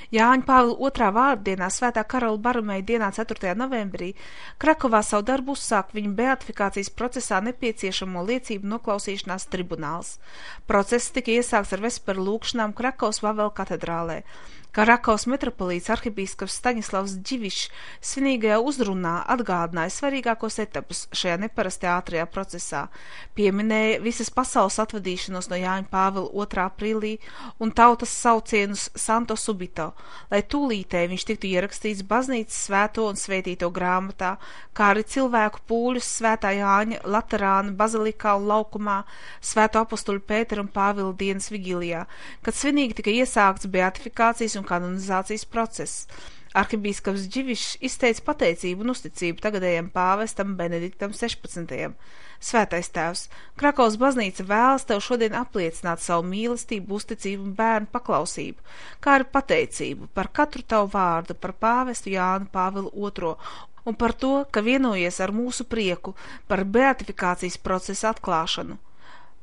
Jāņa Pāvila II vārdienā Svētā Karola Barumēja dienā 4. novembrī Krakovā savu darbu uzsāk viņa beatifikācijas procesā nepieciešamo liecību noklausīšanās tribunāls. Process tika iesākts ar vesperu lūgšanām Krakovas Vavela katedrālē. Krakovas metropolīts arhibīskaps Staņislavs Dživišs svinīgajā uzrunā atgādināja svarīgākos etapus šajā neparastajā ātrajā procesā, pieminēja visas pasaules atvadīšanos no Jāņa Pāvila 2. aprīlī un tautas saucienus Santo Subito, lai tūlītēji viņš tiktu ierakstīts baznīcas svēto un svētīto grāmatā, kā arī cilvēku pūļus Svētā Jāņa Laterāna bazilikā un laukumā, Svēto apostuļu Pētera un Pāvila dienas vigilijā, kad svinīgi tika iesākts beatifikācijas un kanonizācijas process. Arhibīskaps Dživišs izteica pateicību un uzticību tagadējam pāvestam Benediktam 16. Svētais tēvs, Krakovas baznīca vēlas tev šodien apliecināt savu mīlestību, uzticību un bērnu paklausību, kā arī pateicību par katru tavu vārdu par pāvestu Jānu Pāvilu II un par to, ka vienojies ar mūsu prieku par beatifikācijas procesa atklāšanu.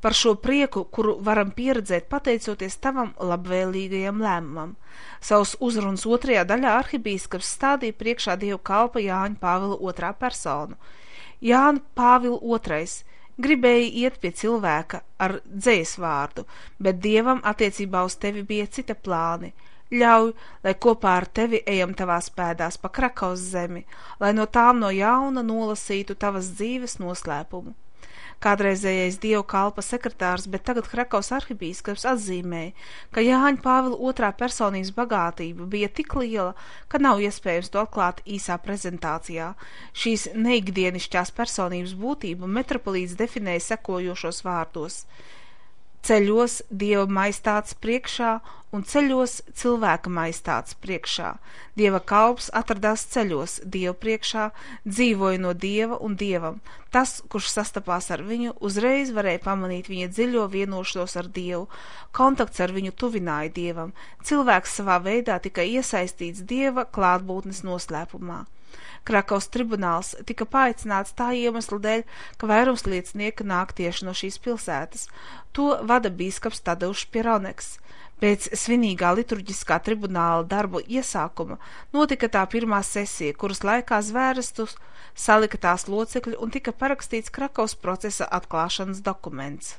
Par šo prieku, kuru varam pieredzēt pateicoties tavam labvēlīgajam lēmumam. Savus uzrunas 2. daļā arhibīskaps stādīja priekšā Dievu kalpa Jāņa Pāvila 2. personu. Jāņa Pāvila II gribēja iet pie cilvēka ar dzejas vārdu, bet Dievam attiecībā uz tevi bija cita plāni. Ļauj, lai kopā ar tevi ejam tavās pēdās pa Krakovas zemi, lai no tām no jauna nolasītu tavas dzīves noslēpumu. Kādreizējais Dievu kalpa sekretārs, bet tagad Krakovas arhibīskaps atzīmēja, ka Jāņa Pāvila II personības bagātība bija tik liela, ka nav iespējams to atklāt īsā prezentācijā. Šīs neikdienišķās personības būtību metropolīts definēja sekojošos vārdos: ceļos Dieva maistātes priekšā un ceļos cilvēka maistātes priekšā. Dieva kalps atradās ceļos Dievu priekšā, dzīvoja no Dieva un Dievam. Tas, kurš sastapās ar viņu, uzreiz varēja pamanīt viņa dziļo vienošanos ar Dievu. Kontakts ar viņu tuvināja Dievam. Cilvēks savā veidā tika iesaistīts Dieva klātbūtnes noslēpumā. Krakovas tribunāls tika paaicināts tā iemesla dēļ, ka vairums liecinieku nāk tieši no šīs pilsētas. To vada bīskaps Tadeušs Pieroneks. Pēc svinīgā liturģiskā tribunāla darbu iesākuma notika tā pirmā sesija, kuras laikā zvērestus salika tās locekļi un tika parakstīts Krakovas procesa atklāšanas dokuments.